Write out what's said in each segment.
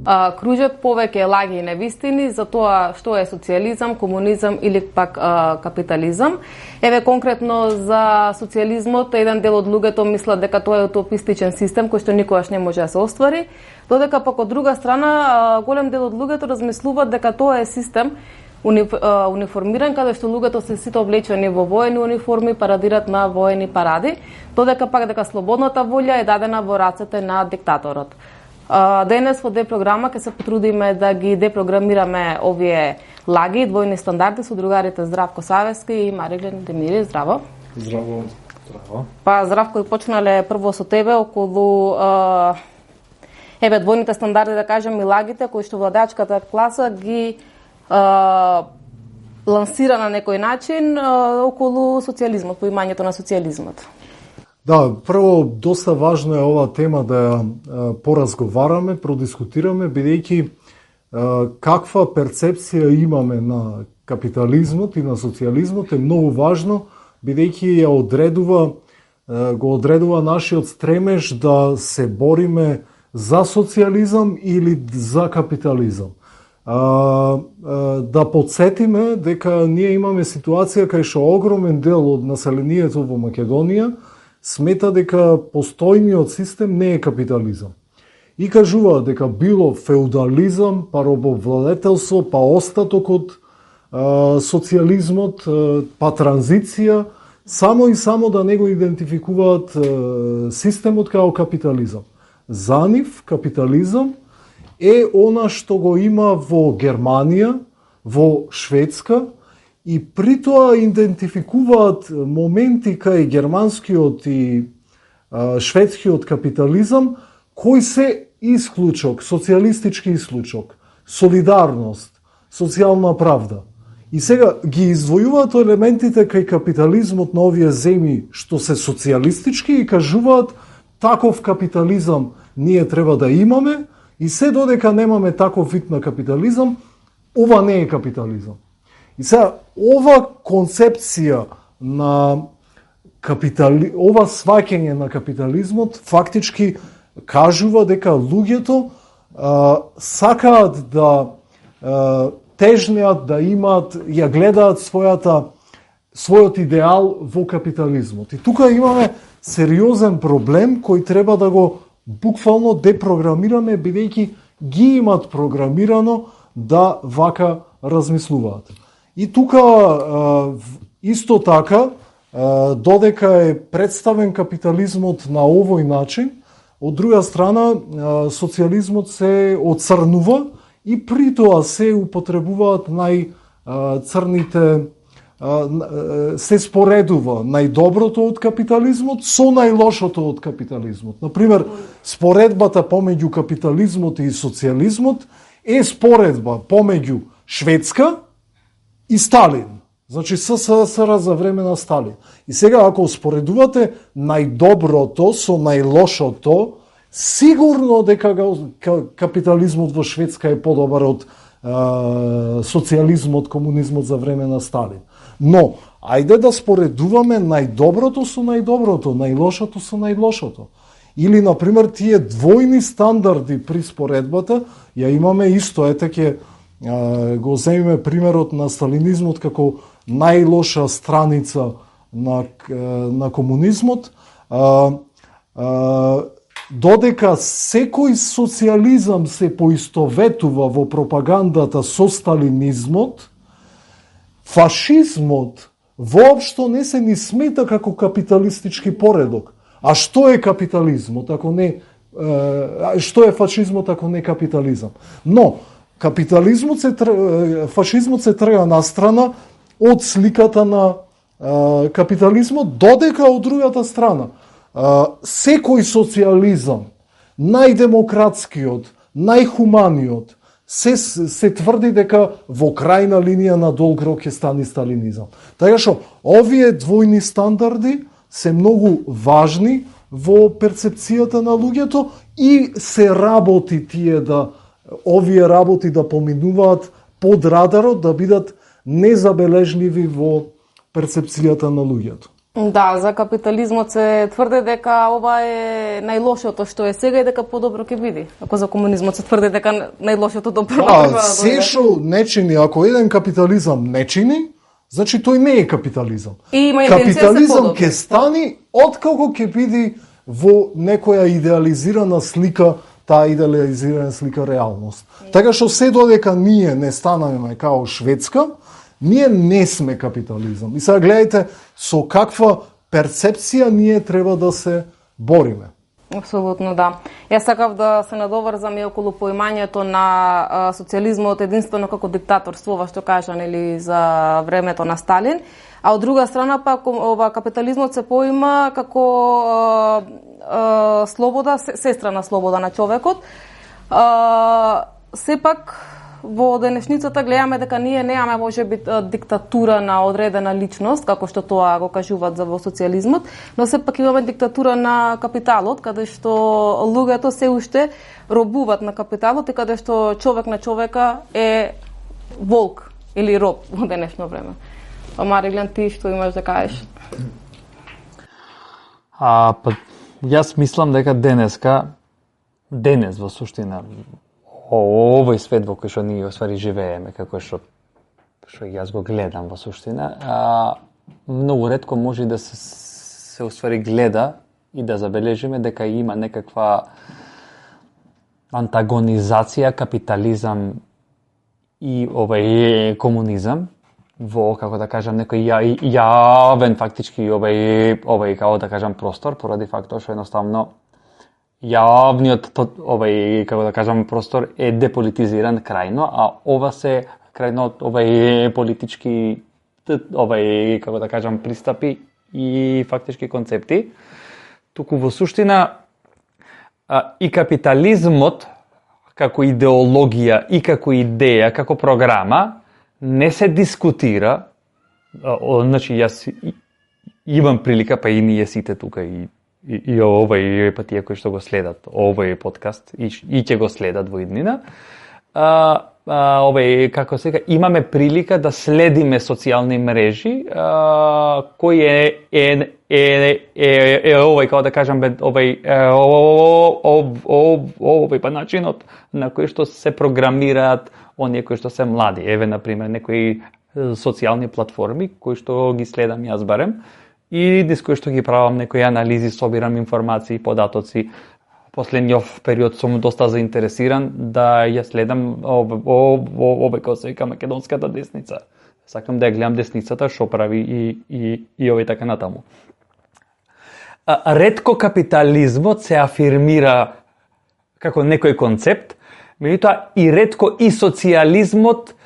кружат повеќе лаги и невистини за тоа што е социјализам, комунизам или пак капитализам. Еве конкретно за социјализмот, еден дел од луѓето мислат дека тоа е утопистичен систем кој што никогаш не може да се оствари, додека пак од друга страна голем дел од луѓето размислуваат дека тоа е систем униформиран, каде што луѓето се сите облечени во воени униформи, парадират на воени паради, додека пак дека слободната волја е дадена во рацете на диктаторот. Денес во депрограма ќе се потрудиме да ги депрограмираме овие лаги, двојни стандарди со другарите Здравко Савески и Мариглен Демири. Здраво. Здраво. Здраво. Па Здравко, почнале прво со тебе околу двојните стандарди, да кажем, и лагите кои што владеачката класа ги лансира на некој начин околу социјализмот, поимањето на социјализмот. Да, прво, доста важно е оваа тема да ја поразговараме, продискутираме, бидејќи каква перцепција имаме на капитализмот и на социјализмот е многу важно, бидејќи го одредува нашиот стремеж да се бориме за социјализам или за капитализам. Да подсетиме дека ние имаме ситуација кај што огромен дел од населението во Македонија смета дека постојниот систем не е капитализам. И кажува дека било феудализам, па робовладетелство, па остаток од социјализмот, па транзиција, само и само да не го идентификуваат системот као капитализам. За нив капитализам е она што го има во Германија, во Шведска, и при тоа идентификуваат моменти кај германскиот и шведскиот капитализам, кој се исклучок, социјалистички исклучок, солидарност, социјална правда. И сега ги издвојуваат елементите кај капитализмот на овие земји што се социјалистички и кажуваат таков капитализам ние треба да имаме, и се додека немаме таков вид на капитализам, ова не е капитализам. И сега, ова концепција на ова сваќање на капитализмот фактички кажува дека луѓето сакаат да тежнеат, да имаат, ја гледаат својот идеал во капитализмот. И тука имаме сериозен проблем кој треба да го буквално депрограмираме, бидејќи ги имат програмирано да вака размислуваат. И тука исто така, додека е представен капитализмот на овој начин, од друга страна социјализмот се оцрнува и при тоа се употребуваат најцрните, се споредува најдоброто од капитализмот со најлошото од капитализмот. Например, споредбата помеѓу капитализмот и социјализмот е споредба помеѓу Шведска и Сталин. Значи СССР за време на Сталин. И сега ако споредувате најдоброто со најлошото, сигурно дека капитализмот во Шведска е подобар од социјализмот, комунизмот за време на Сталин. Но, ајде да споредуваме најдоброто со најдоброто, најлошото со најлошото. Или, например, тие двојни стандарди при споредбата, ја имаме исто, ќе го земиме примерот на сталинизмот како најлоша страница на комунизмот, додека секој социјализам се поистоветува во пропагандата со сталинизмот, фашизмот воопшто не се ни смета како капиталистички поредок. А што е капитализмот, ако не што е фашизмот ако не капитализам? Но фашизмот се трга настрана од сликата на капитализмот, додека од другата страна секој социјализам, најдемократскиот, најхуманиот, се тврди дека во крајна линија на долг рок ќе стане сталинизам. Така што овие двојни стандарди се многу важни во перцепцијата на луѓето и се работи овие работи да поминуваат под радарот, да бидат незабележливи во перцепцијата на луѓето. Да, за капитализмот се тврде дека ова е најлошото што е сега и дека подобро ќе биде. Ако за комунизмот се тврде дека најлошото добро треба да се што не чини, ако еден капитализам не чини, значи тој не е капитализам. Капитализам ќе стани откако ќе биде во некоја идеализирана слика, таа идеализирана слика реалност. Така што се додека ние не станаме као Шведска, ние не сме капитализам. И сега гледајте со каква перцепција ние треба да се бориме. Апсолутно да. Јас сакав да се надоврзам и околу поимањето на социјализмот единствено како диктаторство, ова што кажа нели за времето на Сталин, а од друга страна пак ова капитализмот се поима како слобода, сестра слобода на човекот. Сепак во денешницата гледаме дека ние немаме можеби диктатура на одредена личност, како што тоа го кажуваат за во социјализмот, но сепак имаме диктатура на капиталот, каде што луѓето се уште робуваат на капиталот и каде што човек на човека е волк или роб во денешно време. Мариглен, ти што имаш да кажеш? Јас мислам дека денес во суштина овој свет во кој што ние оствари живееме, како што јас го гледам во суштина, многу ретко може да се оствари гледа и да забележиме дека има некаква антагонизација капитализам и комунизам во, како да кажам, некој јавен фактички овој како да кажам простор, поради фактот што едноставно јавниот како да кажам простор е деполитизиран крајно, а ова се крајно политички како да кажам пристапи и фактички концепти. Туку во суштина и капитализмот како идеологија и како идеја, како програма не се дискутира. Значи јас имам прилика, па и ние сите тука и овој патија кои што го следат овој подкаст и ќе го следат во иднина, како сега, имаме прилика да следиме социјални мрежи, кој е овој, како да кажам, овој па начинот на кој што се програмираат оние кои што се млади. Еве, например, некои социјални платформи кои што ги следам јас барем, и низ кој што ги правам некои анализи, собирам информации, податоци. Последниот период сум доста заинтересиран да ја следам овој како се вика македонската десница. Сакам да ја гледам десницата што прави и овој така натаму. Ретко капитализмот се афирмира како некој концепт, меѓутоа и ретко и социјализмот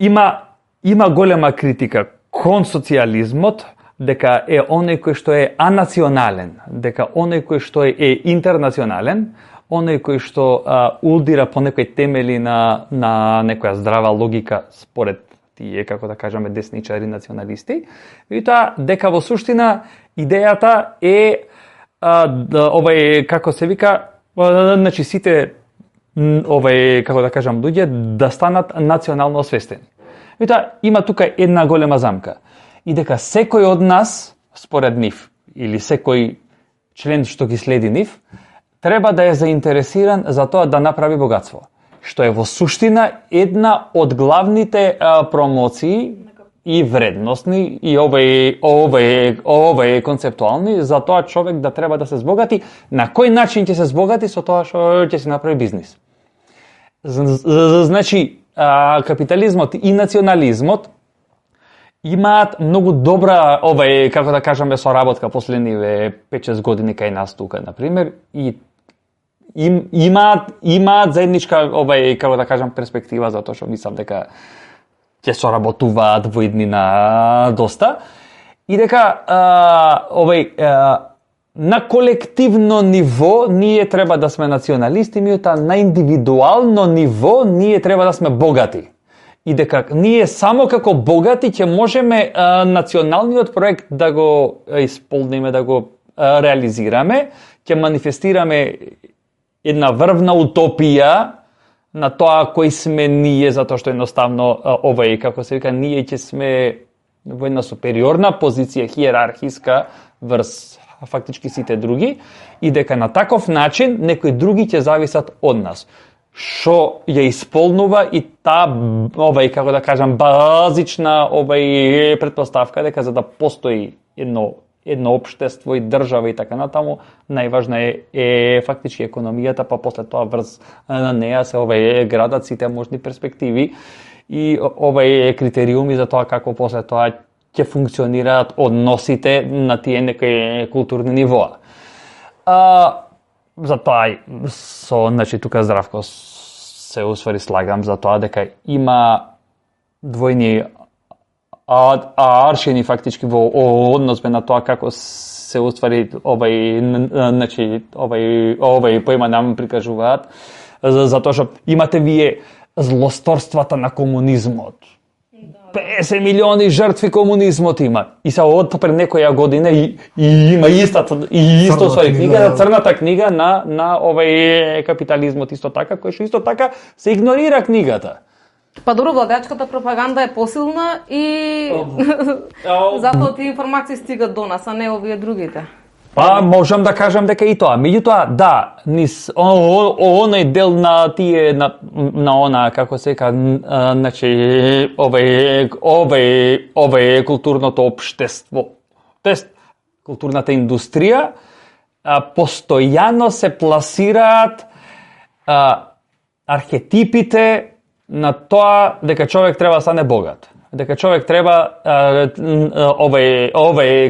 има голема критика кон социјализмот, дека е оној кој што е анационален, дека оној кој што е интернационален, оној кој што удира по некои темели на некоја здрава логика според тие, како да кажеме, десничари националисти, и тоа дека во суштина идејата е како се вика, значи сите како да кажам луѓе да станат национално освестени. И тоа има тука една голема замка. И дека секој од нас, според нив, или секој член што ги следи нив, треба да е заинтересиран за тоа да направи богатство. Што е во суштина една од главните промоции и вредностни, и овој концептуални, за тоа човек да треба да се збогати. На кој начин ќе се збогати? Со тоа што ќе се направи бизнис. Значи, капитализмот и национализмот имаат многу добра, како да кажеме, соработка последниве 5-6 години кај нас тука, например, и имаат заедничка, како да кажам, перспектива, затоа што мислам дека ќе соработуваат во иднина доста, и дека на колективно ниво ние треба да сме националисти, меѓутоа на индивидуално ниво ние треба да сме богати. И дека ние само како богати ќе можеме националниот проект да го исполниме, да го реализираме, ќе манифестираме една врвна утопија на тоа кои сме ние, затоа што едноставно како се вика, ние ќе сме во една супериорна позиција хиерархиска врз фактички сите други и дека на таков начин некои други ќе зависат од нас. Што ја исполнува и таа како да кажам базична претпоставка дека за да постои едно општество и држава и така натаму, најважна е фактички економијата, па после тоа врз на неа се градат сите можни перспективи и критериуми за тоа како после тоа ќе функционираат односите на тие некои културни нивоа. Затоа тука Здравко се усвари слагам за тоа дека има двојни аршини фактички во однос на тоа како се уствари поема нам прикажуваат, затоа што имате вие злосторствата на комунизмот. 50 милиони жртви комунизмот има. И се од пред некоја година и има исто книга, црната книга на капитализмот исто така, кој што исто така се игнорира книгата. Па добро, владеачката пропаганда е посилна и затоа тие информации стигат до нас, а не овие другите. Па можам да кажам дека и тоа. Меѓутоа, да, низ оној дел на тие на она како се ка, значи овој културното општество, тоест културната индустрија, постојано се пласираат архетипите на тоа дека човек треба да стане богат. Дека човек треба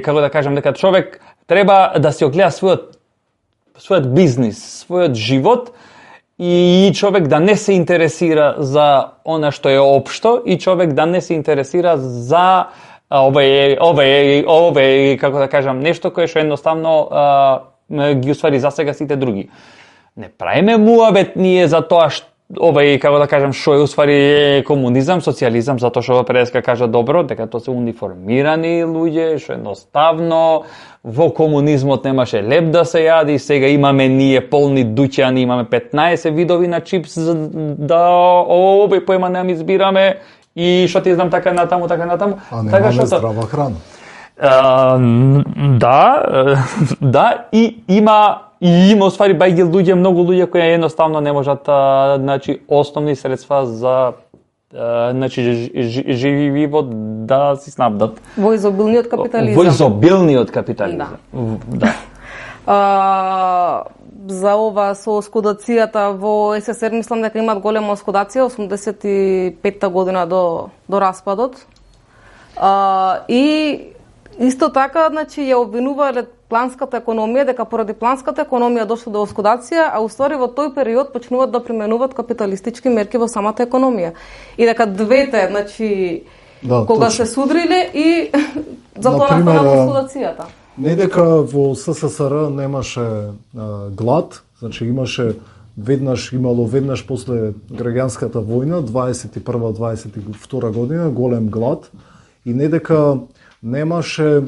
како да кажам, дека човек треба да се огледа својот бизнис, својот живот и човек да не се интересира за она што е општо и човек да не се интересира за како да кажам, нешто кое што едноставно ги усвари за сега сите други. Не правиме муабет ние за тоа што како да кажам, што е усвари комунизам, социјализам, затоа што преска кажа добро, дека тоа се униформирани луѓе, што едноставно во комунизмот немаше леп да се јади, сега имаме ние полни дуќани, имаме 15 видови на чипс, да овој поема не избираме и што ти знам така натаму. А немаме здрава храна. Да, и има усвари бајгил луѓе, многу луѓе кои едноставно не можат основни средства за живот да си снабдат. Во изобилниот капитализам. Да. За ова со оскудацијата во СССР мислам дека имаат голема оскудација 85-та година до распадот. И исто така, значи, ја обвинувале планската економија, дека поради планската економија дошло до оскудација, а уствари во тој период почнуваат да применуваат капиталистички мерки во самата економија. И дека двете, значи, кога точно се судриле и затоа настанала оскудацијата. Не дека во СССР немаше глад, значи имало веднаш после граѓанската војна, 21-22 година, голем глад, и не дека немаше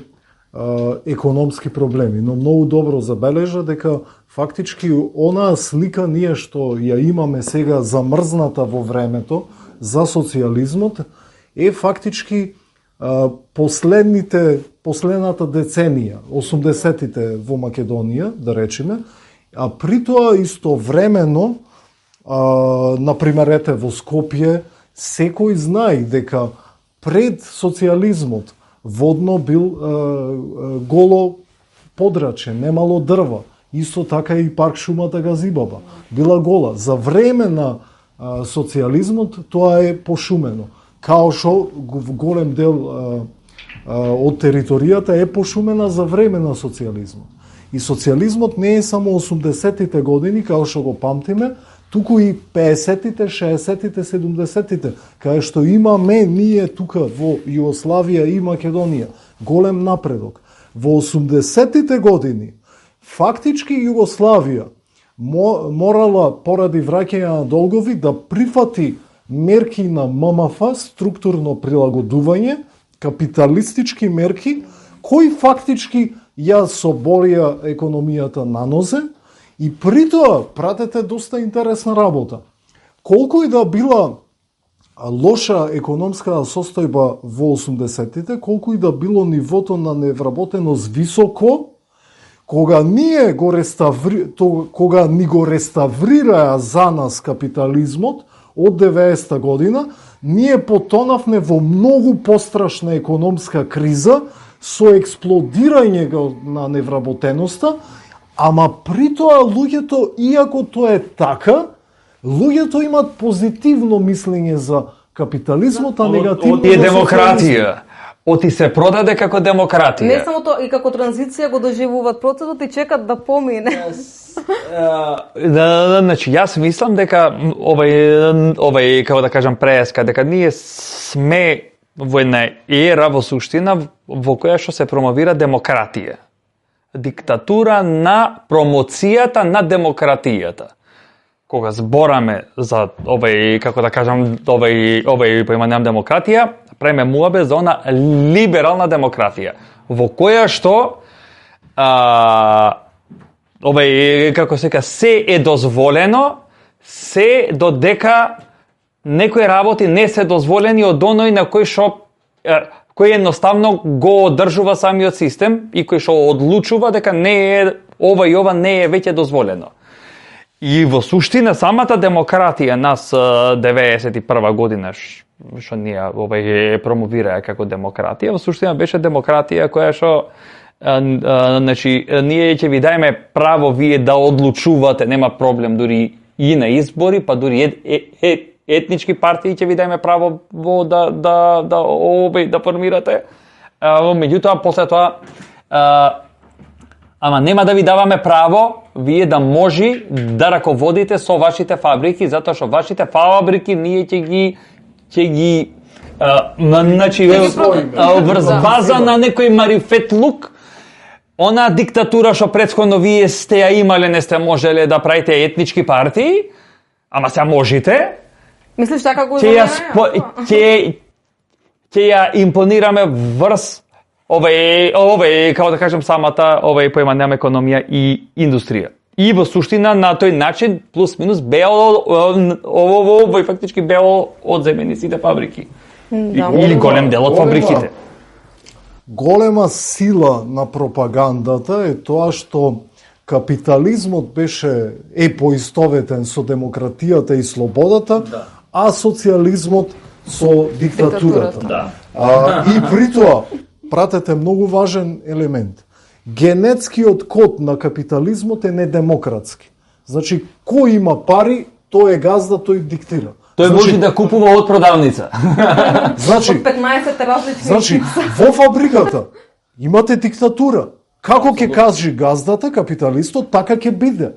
економски проблеми, но многу добро забележа дека фактички онаа слика ние што ја имаме сега замрзната во времето за социјализмот е фактички последната деценија, 80-тите во Македонија, да речеме, а при тоа истовремено, например, ете во Скопје, секој знае дека пред социјализмот водно бил голо подраче, немало дрва. Исто така и парк шумата Газибаба била гола. За време на социјализмот тоа е пошумено. Као што голем дел од територијата е пошумена за време на социјализмот. И социјализмот не е само 80-тите години, као што го памтиме, туку и 50-тите, 60-тите, 70-тите, кај што имаме ние тука во Југославија и Македонија голем напредок. Во 80-тите години фактички Југославија морала поради враќање на долгови да прифати мерки на ММФ, структурно прилагодување, капиталистички мерки, кои фактички ја соборија економијата на нозе. И при тоа, пратете доста интересна работа. Колку и да била лоша економска состојба во 80-тите, колку и да било нивото на невработеност високо, кога ни го реставрираа за нас капитализмот од 90-та година, ние потонавме во многу пострашна економска криза со експлодирање на невработеноста, ама при тоа луѓето, иако тоа е така, луѓето имат позитивно мислење за капитализмот, а негативно Оти е демократија. Оти се продаде како демократија. Не само тоа, и како транзиција го доживуваат процесот и чекат да помине. Значи, јас мислам дека овај како да кажам преска, дека ние сме во една ера во суштина во која што се промовира демократија. Диктатура на промоцијата на демократијата. Кога збораме за овај, како да кажам, овај поимањам демократија, преме муабе за она либерална демократија, во која што овај, како се ка, се е дозволено, се додека некои работи не се дозволени од оној на кој што кој едноставно го одржува самиот систем и кој што одлучува дека не е ова и ова не е веќе дозволено. И во суштина самата демократија нас 91 година што ние овај промовираа како демократија, во суштина беше демократија која што значи ние ќе ви дајме право вие да одлучувате, нема проблем дури и на избори, па дури етнички партии ќе ви дајме право да формирате. Меѓутоа после тоа ама нема да ви даваме право вие да може да раководите со вашите фабрики, затоа што вашите фабрики ние ќе ги значи врз база на некој марифетлук, она диктатура што претходно вие сте ја имале, не сте можеле да правите етнички партии, ама се можете. Мислиш така го ќе ја импонираме врз овај, како да кажем, самата поимањам економија и индустрија. И во суштина на тој начин плюс минус беа овој фактички беа одземени сите фабрики. Или голем дел од фабриките. Голема сила на пропагандата е тоа што капитализмот е поистоветен со демократијата и слободата, а социјализмот со диктатурата. И при тоа пратете многу важен елемент. Генетскиот код на капитализмот е недемократски. Значи, кој има пари, тој е газда, тој диктира. Тој може да купува од продавница. Значи, од 15 различни. Значи, во фабриката имате диктатура. Како ќе кажи газдата, капиталистот, така ќе биде.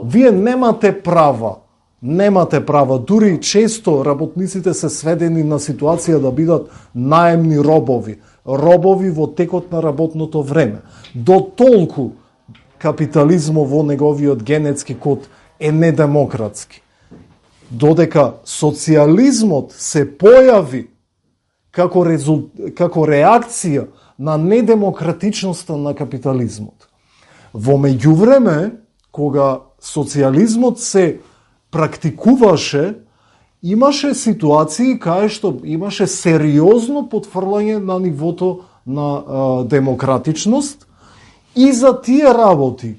Вие немате права. Немате права. Дури често работниците се сведени на ситуација да бидат наемни робови. Робови во текот на работното време. До толку капитализмот во неговиот генетски код е недемократски. Додека социјализмот се појави како реакција на недемократичноста на капитализмот. Во меѓувреме, кога социјализмот се практикуваше, имаше ситуации кај што имаше сериозно потврлање на нивото на демократичност и за тие работи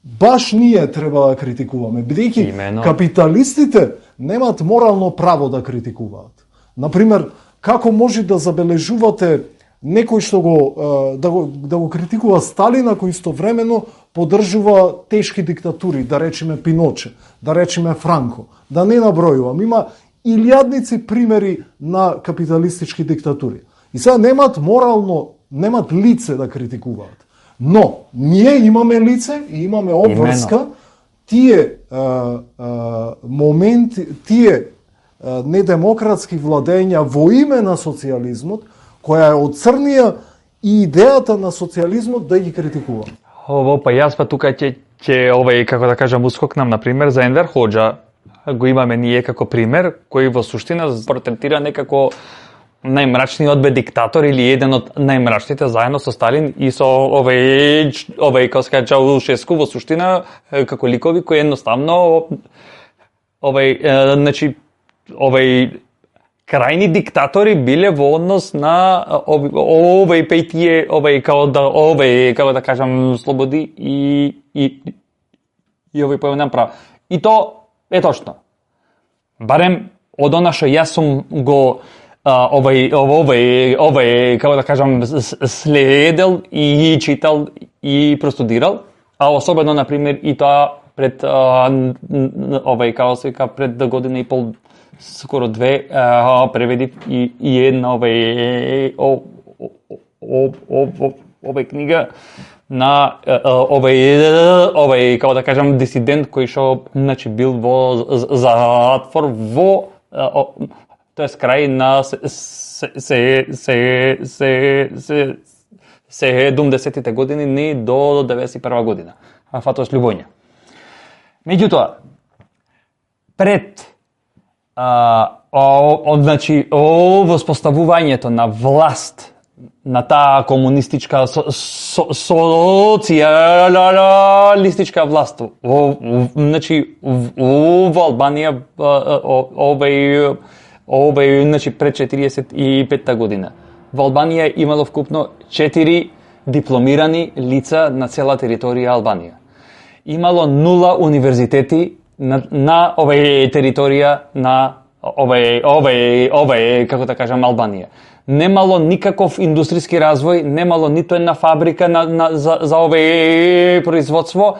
баш ние треба да критикуваме, бидејќи капиталистите немаат морално право да критикуваат. Например, како може да забележувате некој што да го критикува Сталина, кој истовремено поддржува тешки диктатури, да речеме Пиноче, да речеме Франко, да не набројувам. Има илјадници примери на капиталистички диктатури. И сега немаат лице да критикуваат. Но, ние имаме лице и имаме обврска тие моменти, тие недемократски владења во име на социјализмот, која е оцрнија и идејата на социјализмот да ги критикува. Па јас тука ќе овај, како да кажам, ускокнам на пример за Енвер Хоџа. Го имаме ние како пример, кој во суштина портретира некако најмрачниот диктатор или еден од најмрачните заедно со Сталин и со овај како се каже Чаушеску во суштина како ликови кои едноставно значи крајни диктатори биле во однос на пејтие, како да кажам, слободи и појавен прав. И то е точно. Барем од она што јас сум го како да кажам, следел и читал и простудирал, а особено, например, и тоа пред како се вика, пред година и пол, скоро две, преведив и една книга на како да кажам, дисидент кој што значи бил во затвор во тоест крај на 70-тите години не до 91 година. Фатош Љубоња. Меѓутоа, пред значи воспоставувањето на власт на таа комунистичка социјалистичка власт значи во Албанија значи пред 45-та година. Во Албанија имало вкупно 4 дипломирани лица на цела територија Албанија. Имало 0 универзитети на територија на како да кажам, Албанија. Немало никаков индустријски развој, немало ниту една фабрика за производство.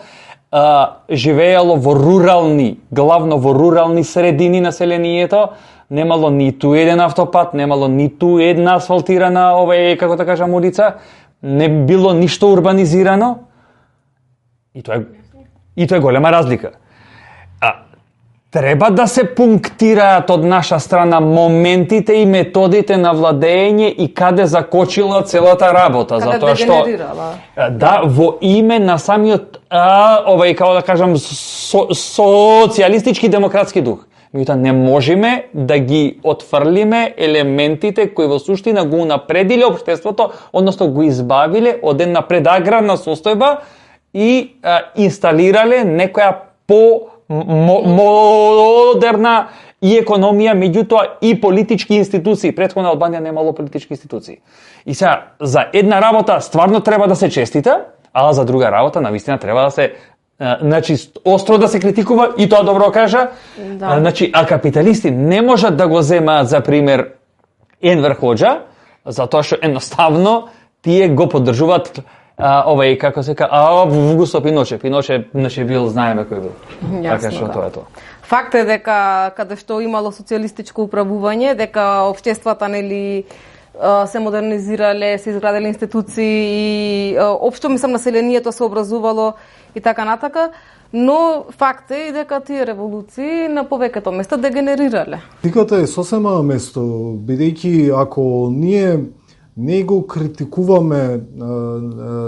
Живеело во рурални, главно во рурални средини населението. Немало ниту еден автопат, немало ниту една асфалтирана како да кажам, улица. Не било ништо урбанизирано. И тоа е голема разлика. Треба да се пунктираат од наша страна моментите и методите на владење и каде закочила целата работа, затоа што во име на самиот како да кажам, социјалистички демократски дух. Меѓутоа не можеме да ги отфрлиме елементите кои во суштина го унапредиле општеството, односно го избавиле од една предаграрна состојба и инсталирале некоја модерна и економија, меѓутоа и политички институции. Претходно Албанија немало политички институции. И сега, за една работа стварно треба да се честита, а за друга работа навистина треба да се значи остро да се критикува, и тоа добро кажа. Да. Значи, а капиталисти не можат да го земаат за пример Енвер Хоџа, затоа што едноставно тие го поддржуваат како се ка, Августо Пиноше. Пиноше бил, знаеме кој бил. Така што тоа е тоа. Факт е дека каде што имало социјалистичко управување, дека општествата нели се модернизирале, се изграделе институции и општо мислам населението се образувало и така натака, но факт е и дека тие револуции на повеќето места дегенерирале. Тиката е сосема место, бидејќи ако ние не го критикуваме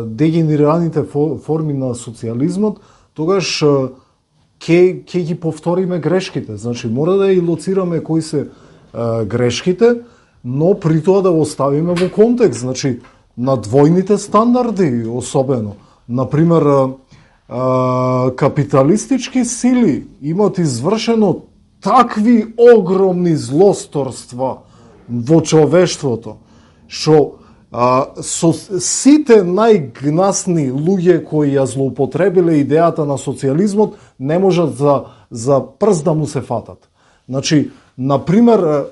дегенерираните форми на социјализмот, тогаш ќе ги повториме грешките. Значи, мора да и лоцираме кои се грешките, но при тоа да го ставиме во контекст. Значи, на двојните стандарди особено. Например, капиталистички сили имат извршено такви огромни злосторства во човештвото, што со сите најгнасни луѓе кои ја злоупотребиле идејата на социјализмот не можат за прст да му се фатат. Значи, например,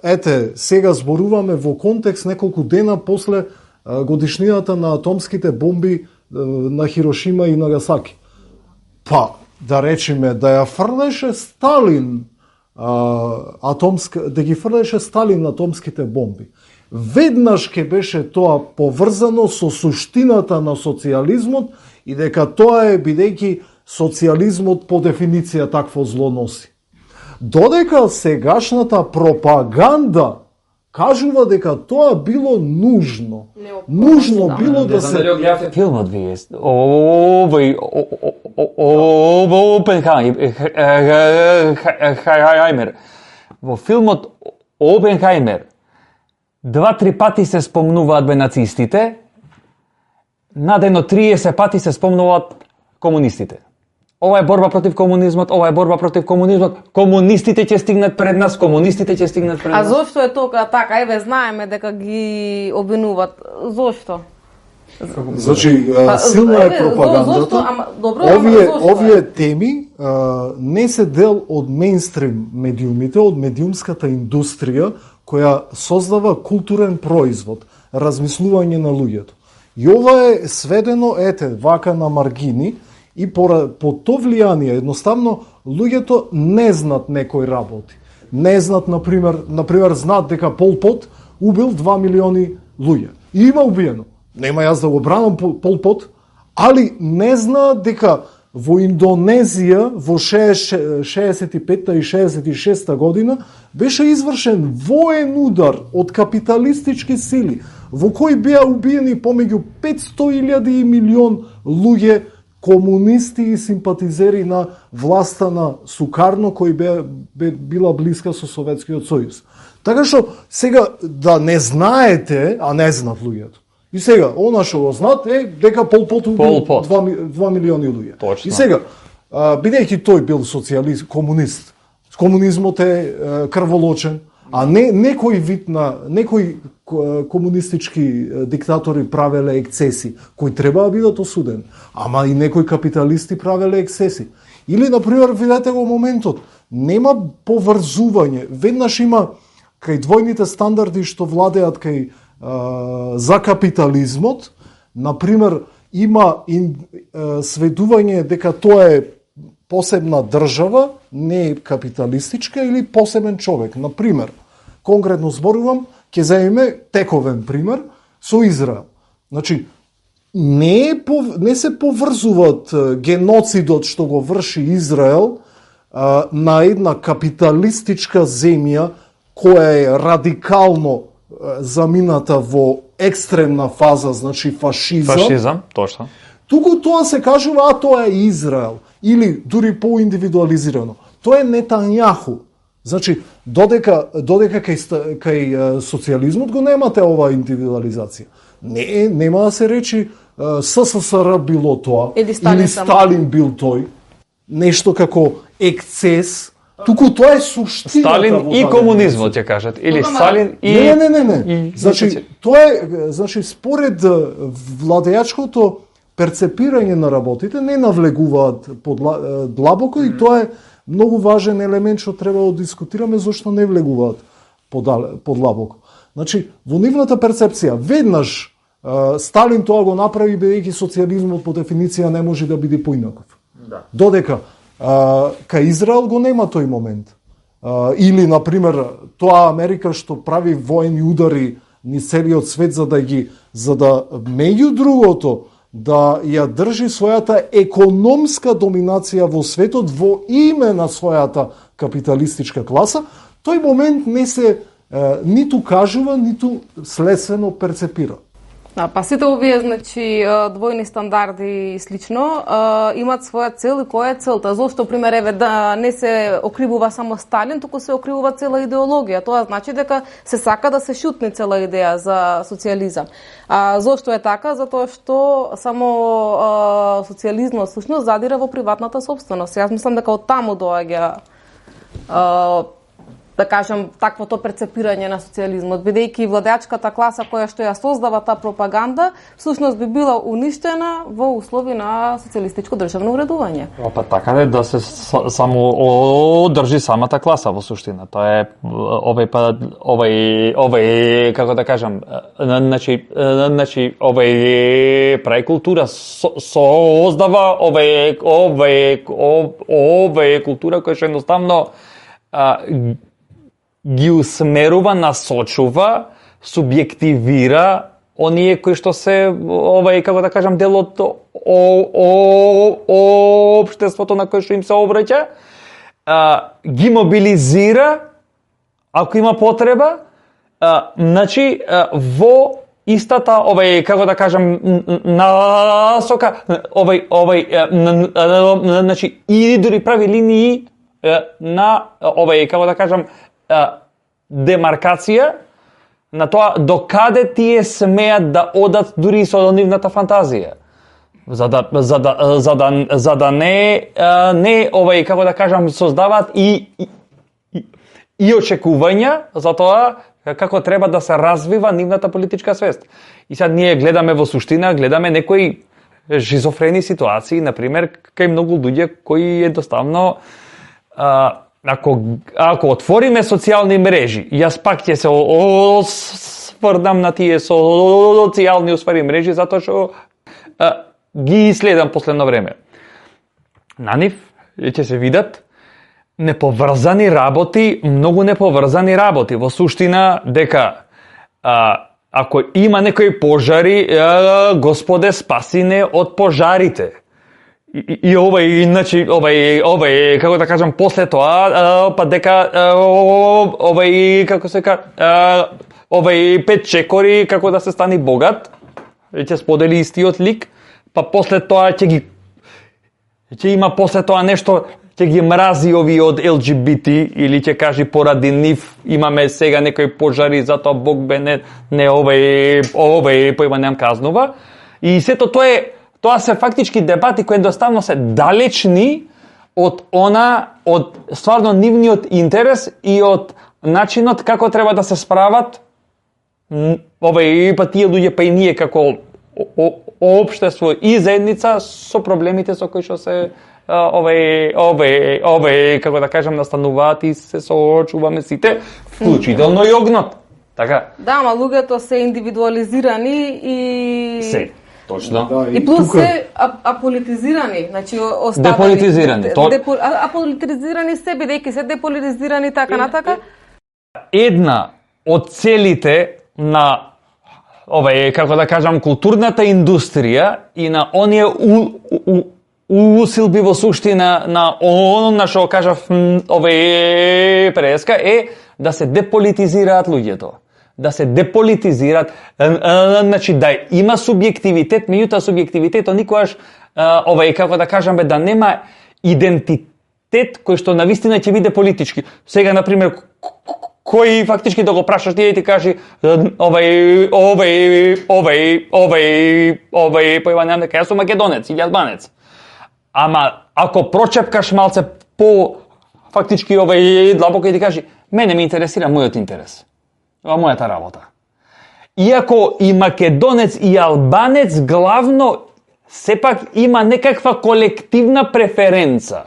сега зборуваме во контекст неколку дена после годишнината на атомските бомби на Хирошима и Нагасаки. Па, да речеме, да ја фрлеше Сталин да ги фрлеше Сталин атомските бомби. Веднаш ке беше тоа поврзано со суштината на социјализмот и дека тоа е бидејќи социјализмот по дефиниција такво зло носи. Додека сегашната пропаганда кажува дека тоа било нужно. Нужно било да се... Филмот вие, Опенхаймер. Во филмот Опенхаймер 2-3 пати се спомнуваат нацистите, надено 30 пати се спомнуваат комунистите. ова е борба против комунизмот, ова е борба против комунизмот, комунистите ќе стигнат пред нас, комунистите ќе стигнат пред нас. А зошто е тоа така? Еве знаеме дека ги обвинуваат. Зошто? Значи, силна е пропагандата. Овие теми не се дел од мејнстрим медиумите, од медиумската индустрија која создава културен производ, размислување на луѓето. И ова е сведено, вака на маргини, и по то влијание, едноставно, луѓето не знат некои работи. Не знат, например, знаат дека Пол Пот убил 2 милиони луѓе. И има убиено. Нема јас да го бранам Пол Пот, али не знаат дека во Индонезија во 65-та и 66-та година беше извршен воен удар од капиталистички сили, во кој беа убиени помеѓу 500.000 и милион луѓе, комунисти и симпатизери на власта на Сукарно, кој била блиска со Советскиот сојуз. Така што сега да не знаете, а не знаат луѓето. И сега, она што го знаат е дека Пол Пот убил 2 милиони луѓе. Точно. И сега, бидејќи тој бил социјалист, комунист, комунизмот е крволочен, а некој вид на некои комунистички диктатори правеле ексцеси кои треба да бидат осудени, ама и некои капиталисти правеле ексцеси. Или например, видете го моментот, нема поврзување, веднаш има кај двојните стандарди што владеат кај за капитализмот, например, има сведување дека тоа е посебна држава, не капиталистичка или посебен човек. Например, конкретно зборувам, ќе земеме тековен пример со Израел. Значи, не се поврзуваат геноцидот што го врши Израел на една капиталистичка земја која е радикално замината во екстремна фаза, значи фашизам. Фашизам, точно. Туку тоа се кажува, тоа е Израел. Или дури поиндивидуализирано. Тоа е Нетањаху. Значи, додека кај социјализмот го немате оваа индивидуализација. Нема да се речи СССР било тоа, или Сталин бил тој. Нешто како ексцес. Туку тоа е суштината. Сталин и комунизмот ќе кажат, или Сталин и Не. Значи, тоа е, според владеачкото перцепирање на работите не навлегуваат длабоко и тоа е многу важен елемент што треба да дискутираме зашто не влегуваат подлабоко. Значи, во нивната перцепција, веднаш Сталин тоа го направи бидејќи социјализмот по дефиниција не може да биде поинаков. Да. Додека кај Израел го нема тој момент. Или, например, тоа Америка што прави воени удари низ целиот свет за да меѓу другото да ја држи својата економска доминација во светот во име на својата капиталистичка класа, тој момент не се ниту кажува, ниту следствено перцепира. Па сите овие, значи, двојни стандарди и слично, имаат своја цел и која е целта. Зошто, пример, еве, да не се окривува само Сталин, туку се окривува цела идеологија. Тоа значи дека се сака да се шутне цела идеја за социјализам. Зошто е така? Затоа што само социјализмот всушност задира во приватната сопственост. Јас мислам дека од таму доаѓа да кажем, таквото перцепирање на социјализмот, бидејќи владеачката класа која што ја создава таа пропаганда, всушност би била уништена во услови на социјалистичко државно уредување. Па така да се само одржи самата класа во суштина. Тоа е овај како да кажам, значи овај прави култура создава овај култура која што едноставно ги усмерува, насочува, субјективира оние кои што се како да кажам дел од општеството на кој што им се обраќа, ги мобилизира ако има потреба, значи во истата како да кажам насока, значи и дури прави линии на како да кажам демаркација на тоа до каде тие смеат да одат дури со нивната фантазија. за да не како да кажам создаваат и очекувања за тоа како треба да се развива нивната политичка свест. И сега ние гледаме во суштина, гледаме некои шизофрени ситуации, например, кај многу луѓе кои едноставно ако отвориме социјални мрежи, јас пак ќе се осврнам на тие социјални усвари мрежи затоа што ги следам последно време. На нив ќе се видат неповрзани работи, многу неповрзани работи. Во суштина дека ако има некои пожари, Господе спаси не од пожарите. И иначе како да кажам после тоа, па дека како се кажа, Пет чекори како да се стани богат, ќе сподели истиот лик, па после тоа ќе има после тоа нешто, ќе ги мрази ови од LGBT или ќе кажи поради нив имаме сега некои пожари, затоа Бог бе не појма нем казнува. И сето тоа се фактички дебати кои едноставно се далечни од стварно нивниот интерес и од начинот како треба да се справат па тие луѓе, па и ние како општество и заедница со проблемите со кои што се како да кажам настануваат и се соочуваме сите, вклучително и огнот. Така? Да, ама луѓето се индивидуализирани и се. Точно. Да, и плюс се аполитизирани, значи останали. Деполитизирани. Аполитизирани се, бидејќи се деполитизирани така натака. Една од целите на како да кажам културната индустрија и на оние усилби во суштина на она што кажав преска е да се деполитизираат луѓето. Да се деполитизираат, значи да има субјективитет, меѓутоа субјективитетот никогаш како да кажам да нема идентитет кој што навистина ќе биде политички. Сега например кој фактички да го прашаш тие и ти кажи појма нема дека јас сум македонец или албанец. Ама ако прочепкаш малце по фактички длабоко и ти кажи мене ме интересира мојот интерес. Мојата работа. Иако и македонец и албанец главно сепак има некаква колективна преференца,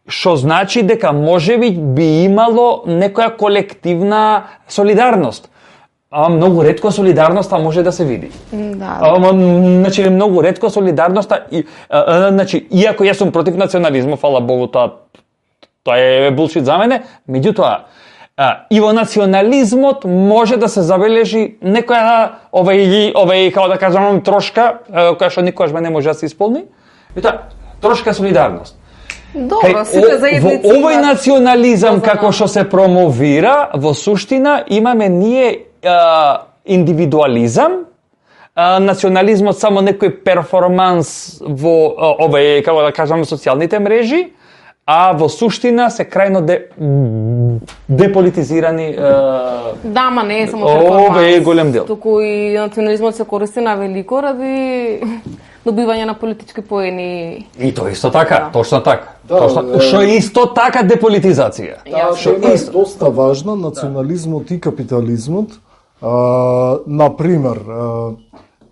што значи дека можеби би имало некоја колективна солидарност. Многу ретко солидарноста може да се види. Да. Значи многу ретко солидарноста значи иако јас сум против национализмот, фала Богу, тоа е булшит за мене, меѓутоа и во национализмот може да се забележи некоја како да кажам трошка која што никогаш не може да се исполни. Ета трошка солидарност. Добро, сите заедници. Во овој национализам како што се промовира, во суштина имаме ние индивидуализам, национализмот само некој перформанс во како да кажам социјалните мрежи, а во суштина се крајно деполитизирани. Да, ама не е само перформанс. Ова е голем дел. Туку и национализмот се користи на велико ради добивање на политички поени. И тоа исто така, Да. точно така. Да, Што е исто така деполитизација. Таа тема е доста важна, национализмот и капитализмот. Например,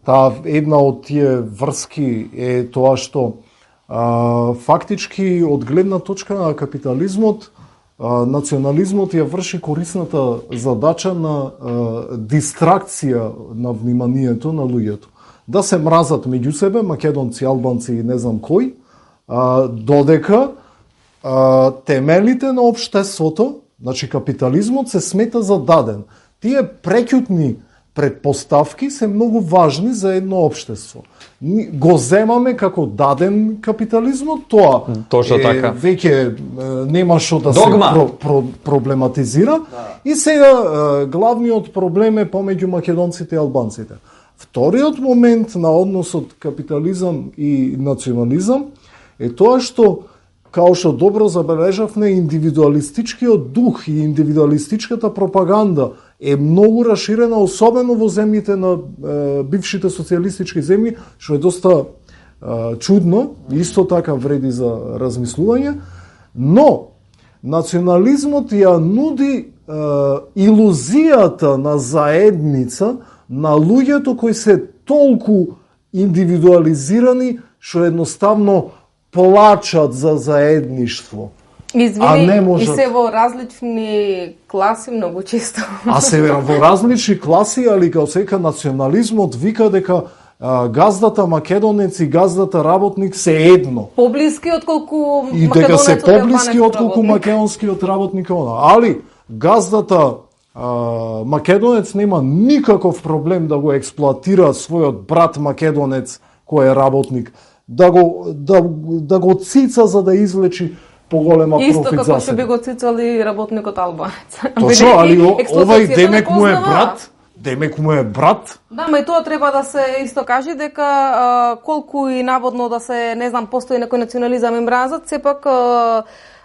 таа една од тие врски е тоа што фактички од гледна точка на капитализмот, национализмот ја врши корисната задача на дистракција на вниманието на луѓето. Да се мразат меѓу себе, македонци, албанци и не знам кој, додека темелите на општеството, значи капитализмот се смета за даден. Тие прекјутни предпоставки се многу важни за едно општество. Го земаме како даден капитализмот, тоа Точно така. веќе нема што да Догма. се проблематизира. И сега главниот проблем е помеѓу македонците и албанците. Вториот момент на односот капитализам и национализам е тоа што, као што добро забележавме, индивидуалистичкиот дух и индивидуалистичката пропаганда е многу раширена, особено во земјите на бившите социјалистички земји, што е доста чудно, исто така вреди за размислување, но национализмот ја нуди илузијата на заедница на луѓето кои се толку индивидуализирани што едноставно плачат за заедништво. Извини, и се во различни класи многу често. А се во различни класи, али као сека национализмот вика дека газдата македонец и газдата работник се едно. Поблиски отколку и дека се поблиски отколку македонскиот работник. Али газдата македонец нема никаков проблем да го експлоатира својот брат македонец кој е работник, да го цица за да излечи поголема профит за себе. Исто како што би го цицали работникот албанец. Точно, али овај демек му е брат. Демек му е брат. Да, ма и тоа треба да се исто каже дека колку и наводно да се, не знам, постои некој национализам и мразат, сепак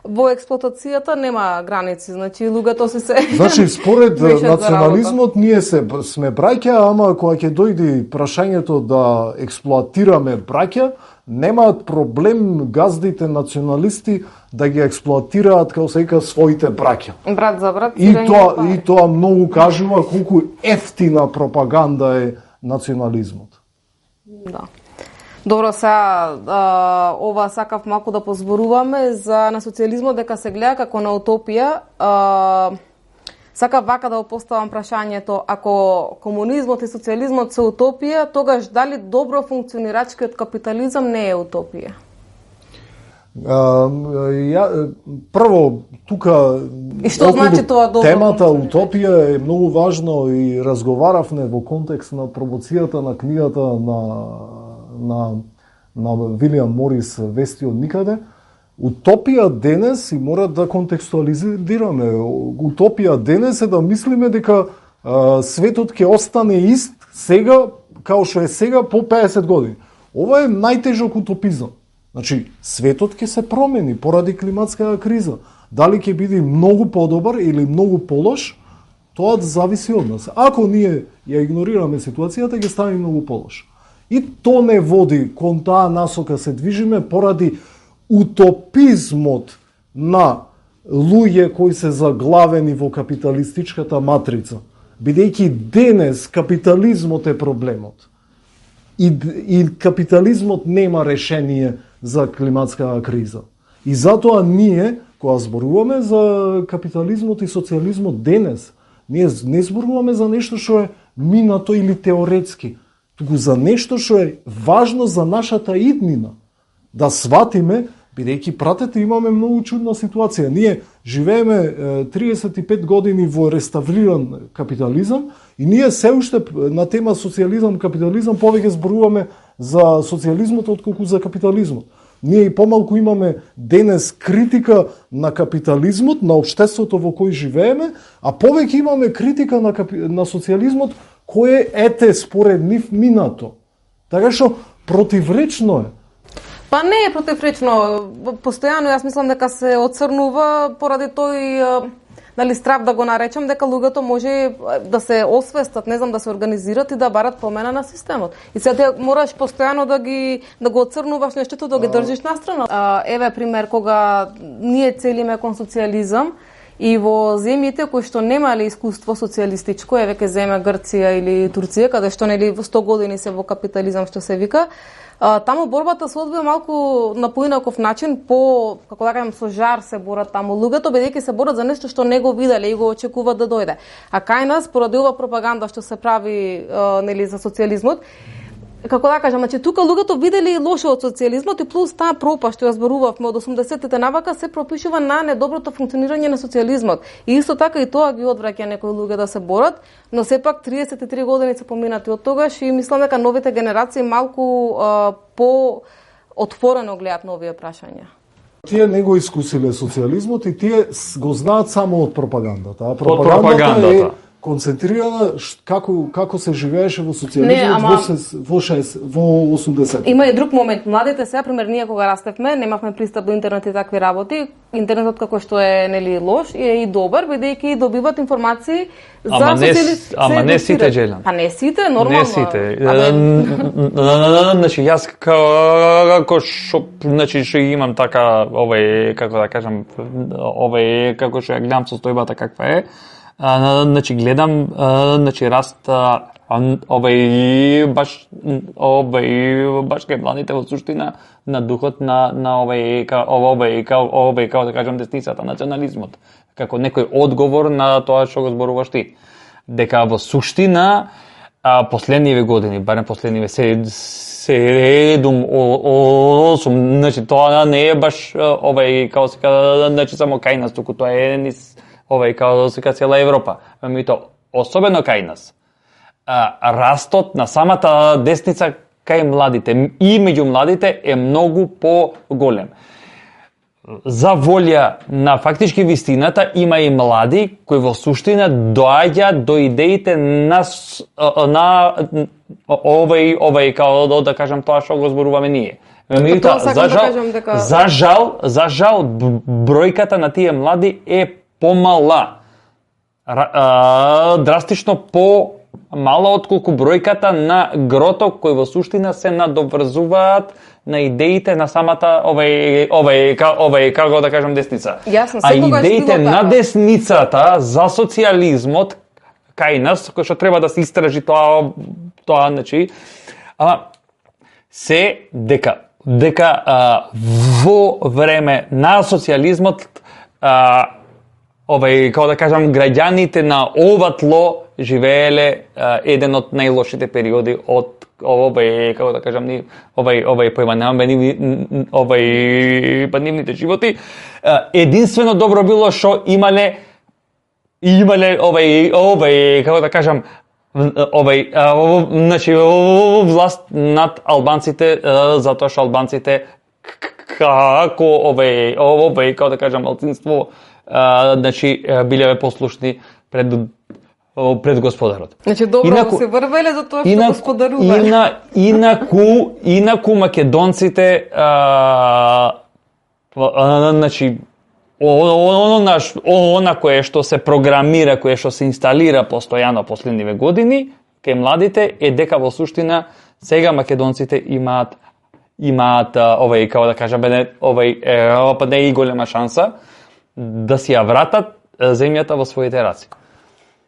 во експлоатацијата нема граници, значи луѓето се Значи според национализмот ние сме браќа, ама кога ќе дојде прашањето да експлоатираме браќа, немаат проблем газдите националисти да ги експлоатираат како се вика своите браќа. Брат за брат. И тоа многу кажува колку ефтина пропаганда е национализмот. Да. Добро, сега ова сакав малку да позборуваме за на социјализмот дека се гледа како на утопија. Сакав вака да го поставам прашањето, ако комунизмот и социјализмот се утопија, тогаш дали добро функционирачкиот капитализам не е утопија? Прво, тука и што значи тоа добро? Темата утопија е многу важно и разговаравме во контекст на промоцијата на книгата на Вилијам Морис Вести од никаде. Утопија денес, и мора да контекстуализираме, утопија денес е да мислиме дека светот ќе остане ист сега, као што е сега по 50 години. Ова е најтежок утопизам. Значи, светот ќе се промени поради климатската криза. Дали ќе биде многу подобар или многу полош, тоа зависи од нас. Ако ние ја игнорираме ситуацијата, ќе стане многу полош. И то не води кон таа насока се движиме поради утопизмот на луѓе кои се заглавени во капиталистичката матрица. Бидејќи денес капитализмот е проблемот. И капитализмот нема решение за климатската криза. И затоа ние, кога зборуваме за капитализмот и социјализмот денес, ние не зборуваме за нешто што е минато или теоретски, туку за нешто што е важно за нашата иднина. Да сватиме, бидејќи пратете, имаме многу чудна ситуација. Ние живееме 35 години во реставриран капитализам и ние се уште на тема социјализам, капитализам повеќе зборуваме за социјализмот отколку за капитализмот. Ние и помалку имаме денес критика на капитализмот, на општеството во кој живееме, а повеќе имаме критика на социјализмот кој ете според нив минато. Така што противречно е. Па не е противречно. Постојано јас мислам дека се оцрнува поради тој страв да го наречам, дека луѓето може да се освестат, не знам, да се организират и да барат промена на системот. И сега мораш постојано да го оцрнуваш нештото, да ги држиш настрана. Еве пример, кога ние целиме кон социјализам и во земјите кои што немале искуство социјалистичко, еве ке земе Грција или Турција, каде што нели 100 години се во капитализам што се вика, таму борбата се одвива малку на поинаков начин, како да кажам, со жар се борат таму луѓето, бидејќи се борат за нешто што не го виделе и го очекуваат да дојде. А кај нас, поради ова пропаганда што се прави нели за социјализмот, како да кажам, значи тука луѓето видели лошо од социјализмот и плюс таа пропаст што ја зборувавме од 80-тите навака се пропишува на недоброто функционирање на социјализмот. И исто така и тоа ги одвраќа некои луѓе да се борат, но сепак 33 години се поминати од тогаш и мислам дека новите генерации малку по отворено гледаат на овие прашања. Тие не го искусиле социјализмот и тие го знаат само од пропагандата. Пропагандата. концентрирана како се живееше во социјализмот во 80. Има и друг момент. Младите сега, пример, ние кога растевме, немавме пристап до интернет и такви работи. Интернетот како што е нели лош е и добар, бидејќи добиват информации за социјализмот. Ама не сите, Джелан. Па не сите, нормално. Не сите. Значи јас како што имам така како да кажам, како што ја гледам состојбата каква е. Значи гледам раст баш кај младите во суштина на духот на како да кажам десницата, национализмот, како некој одговор на тоа што го зборуваш ти. Дека во суштина последниве години, барем последниве 7-8, значи тоа не е баш како се кажа, значи само кај нас, туку тоа е низ како се цела Европа. Меѓутоа, особено кај нас, растот на самата десница кај младите и меѓу младите е многу поголем. За волја на фактички вистината има и млади кои во суштина доаѓа до идеите на како да кажам тоа што го зборуваме ние. За жал бројката на тие млади е помала, драстично помала отколку бројката на грото кои во суштина се надоврзуваат на идеите на самата како да кажам десница. А идеите на десницата за социјализмот кај нас, кој што треба да се истражи тоа значи, се дека во време на социјализмот како да кажам, граѓаните на ова тло живееле еден од најлошите периоди од како да кажам, нивните животи. Единствено добро било што имале како да кажам, значи власт над албанците, затоа што албанците како како да кажам малцинство, значи биле послушни пред господарот. Значи добро се врвеле за тоа што господарувале. Инаку македонците значи она кое што се програмира, кое што се инсталира постојано последниве години кај младите е дека во суштина сега македонците имаат како да кажаме па не и голема шанса да си ја вратат земјата во своите раци.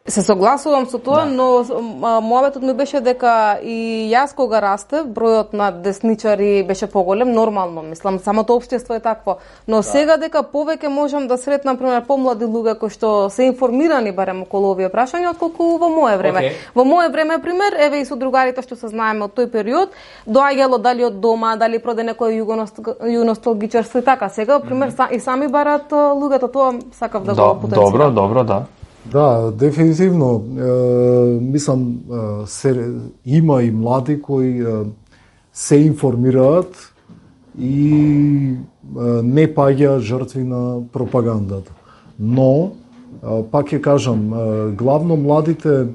Се согласувам со тоа, но мојавето ми беше дека и јас кога растев, бројот на десничари беше поголем, нормално, мислам, самото општество е такво. Но сега дека повеќе можам да сретнам, пример, помлади луѓе кои што се информирани барем околу овие прашања, отколку во моје време. Во моје време, пример, еве и со другарите што се знаеме од тој период, доаѓало дали од дома, дали проде некој југоносталгичарство и така. Сега, пример, и сами барат луѓето, тоа сакав да го потенцирам. Добро, да. Да, дефинитивно. Мислам, има и млади кои се информираат и не паѓа жртви на пропагандата. Но, пак ќе кажам, главно младите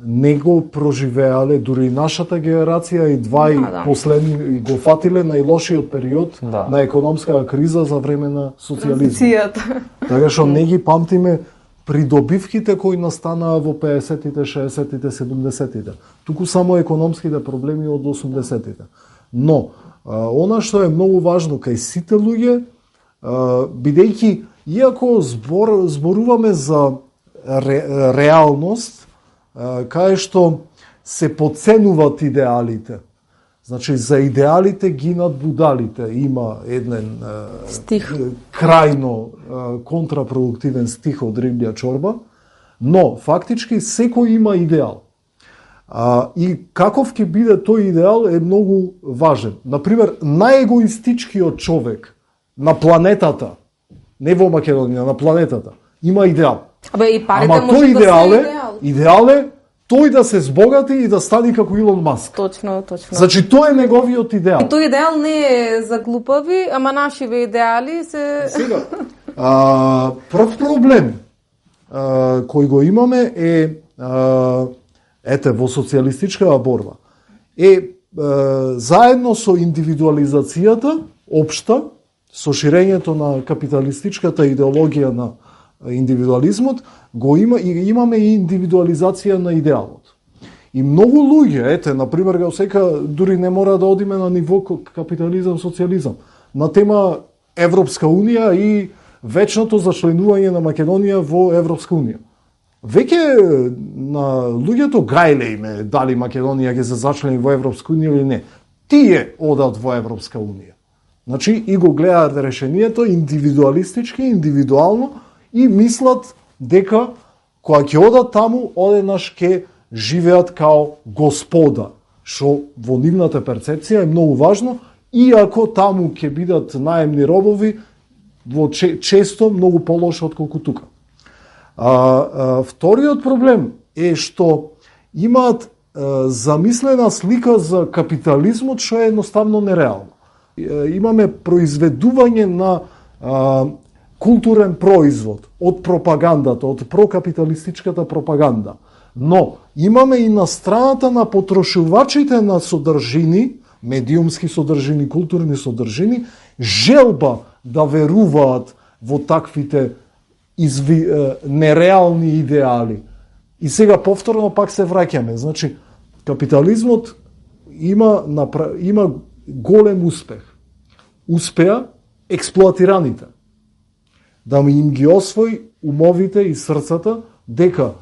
не го проживеале, дури нашата генерација и последни го фатиле најлошиот период на економска криза за време на социјализмот. Така што не ги памтиме придобивките кои настанаа во 50-тите, 60-тите, 70-тите. Туку само економските проблеми од 80-тите. Но, она што е многу важно кај сите луѓе, бидејќи, иако зборуваме за реалност, кај што се подценуваат идеалите. Значи, за идеалите гинат будалите. Има еден стих, крајно контрапродуктивен стих од Риблја чорба, но фактички секој има идеал. И каков ќе биде тој идеал е многу важен. Например, најегоистичкиот човек на планетата, не во Македонија, на планетата, има идеал. Ама тој идеал е тој да се збогати и да стане како Илон Маск. Точно. Значи, тој е неговиот идеал. И тој идеал не е за глупави, ама нашиве идеали се... Сега, прв проблем. кој го имаме е во социјалистичката борба заедно со индивидуализацијата општа, со ширењето на капиталистичката идеологија на индивидуализмот, имаме и индивидуализација на идеалот. И многу луѓе, например, дури не мора да одиме на ниво капитализам, социјализам, на тема Европска Унија и вечното зачленување на Македонија во Европска Унија. Веќе на луѓето гајле име дали Македонија ќе се зачлени во Европска Унија или не. Тие одат во Европска Унија. Значи, и го гледаат решението индивидуалистички, индивидуално и мислат дека кога ќе одат таму, одеднаш ќе живеат као господа, што во нивната перцепција е многу важно, иако таму ќе бидат наемни робови, често многу полошо отколку тука. Вториот проблем е што имаат замислена слика за капитализмот што е едноставно нереално. Имаме произведување на културен производ од пропагандата, од прокапиталистичката пропаганда. Но имаме и на страната на потрошувачите на содржини, медиумски содржини, културни содржини, желба да веруваат во таквите нереални идеали. И сега повторно пак се враќаме. Значи, капитализмот има голем успех. Успеа експлоатираните да им ги освои умовите и срцата дека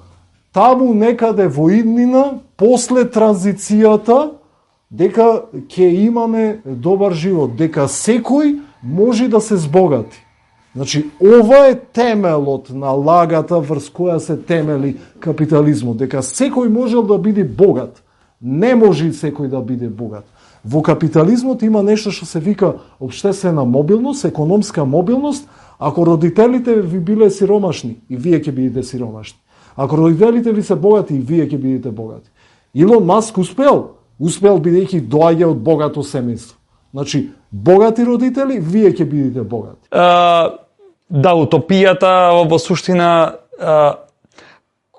таму некаде во иднина, после транзицијата, дека ќе имаме добар живот, дека секој може да се збогати. Значи, ова е темелот на лагата врз која се темели капитализмот, дека секој можел да биде богат. Не може секој да биде богат. Во капитализмот има нешто што се вика општествена мобилност, економска мобилност. Ако родителите ви биле сиромашни, и вие ќе бидете сиромашни. Ако родителите ви се богати, и вие ќе бидете богати. Илон Маск успел бидејќи доаѓа од богато семејство. Значи, богати родители, вие ќе бидете богати. Да, утопијата во суштина,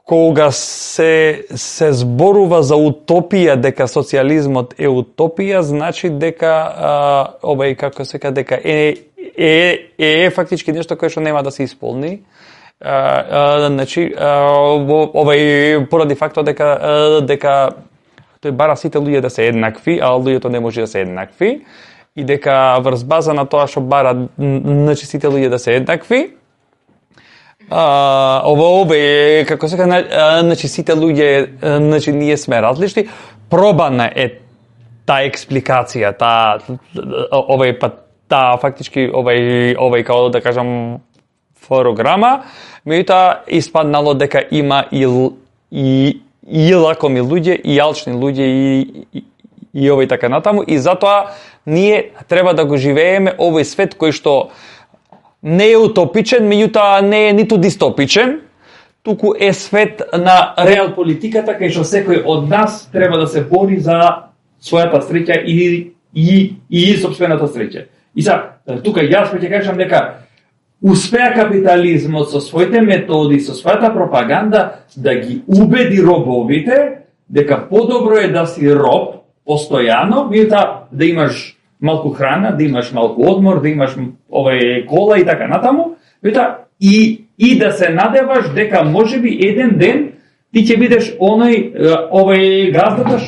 кога се зборува за утопија, дека социјализмот е утопија, значи дека како се ка, дека е фактички нешто кое што нема да се исполни. Значи, поради фактот дека тој бара сите луѓе да се еднакви, а луѓето не може да се еднакви, и дека врз база на тоа што бара значи сите луѓе да се еднакви, како се кажа, значи сите луѓе, значи ние сме различни, пробана е таа експликација, таа фактички како да кажам програма, меѓутоа испаднало дека има и лакоми луѓе, и алчни луѓе, и така натаму, и затоа ние треба да го живееме овој свет кој што не е утопичен, меѓутоа не е ниту дистопичен, туку е свет на реал политиката, кај што секој од нас треба да се бори за својата среќа и сопствената среќа. И тука јас ќе кажам дека успеа капитализмот со своите методи, со својата пропаганда да ги убеди робовите дека подобро е да си роб постојано, меѓутоа да имаш малку храна, да имаш малку одмор, да имаш кола и така натаму, меѓутоа и да се надеваш дека можеби еден ден ти ќе бидеш оној газдата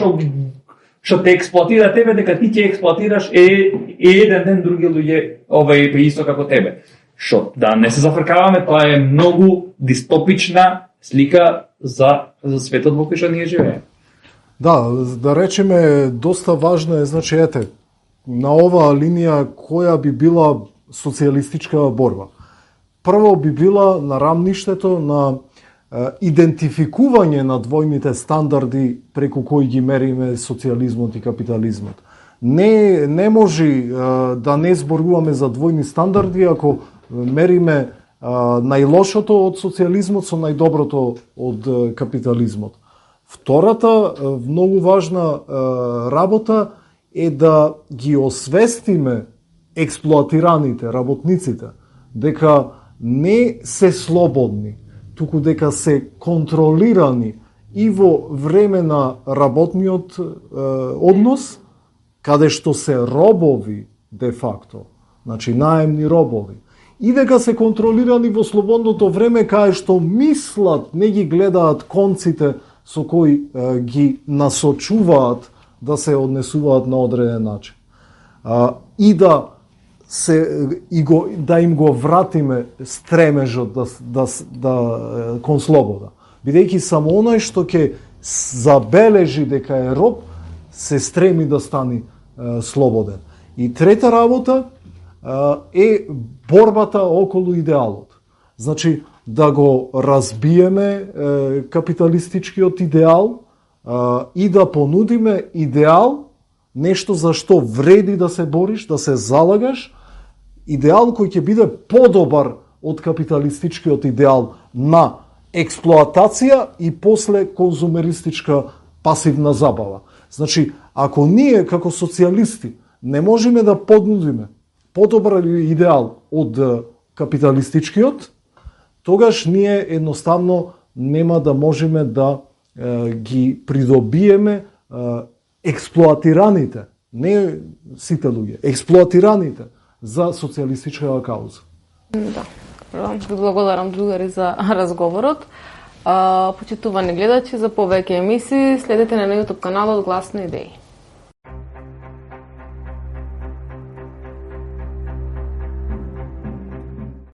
што те експлоатира тебе, дека ти ќе експлоатираш еден ден други луѓе исто како тебе. Што да не се зафркаваме, тоа е многу дистопична слика за светот во кој што ние живееме. Да речеме, доста важно е, значи, на оваа линија која би била социјалистичка борба. Прво би била на рамништето на идентификување на двојните стандарди преку кои ги мериме социјализмот и капитализмот. Не може да не зборуваме за двојни стандарди ако мериме најлошото од социјализмот со најдоброто од капитализмот. Втората многу важна работа е да ги освестиме експлоатираните, работниците, дека не се слободни. туку дека се контролирани и во време на работниот однос, каде што се робови де факто, значи наемни робови, и дека се контролирани во слободното време каде што мислат, не ги гледаат конците со кои ги насочуваат да се однесуваат на одреден начин. И да им го вратиме стремежот кон слобода. Бидејќи само онај што ќе забележи дека е роб, се стреми да стане слободен. И трета работа е борбата околу идеалот. Значи, да го разбиеме капиталистичкиот идеал и да понудиме идеал, нешто за што вреди да се бориш, да се залагаш, идеал кој ќе биде подобар од капиталистичкиот идеал на експлоатација и после конзумеристичка пасивна забава. Значи, ако ние како социјалисти не можеме да понудиме подобар идеал од капиталистичкиот, тогаш ние едноставно нема да можеме да ги придобиеме експлоатираните, не сите луѓе, експлоатираните за социјалистичка кауза. Да. Ви благодарам, другари, за разговорот. Почитувани гледачи, за повеќе емисии следете на YouTube каналот Глас на идеи.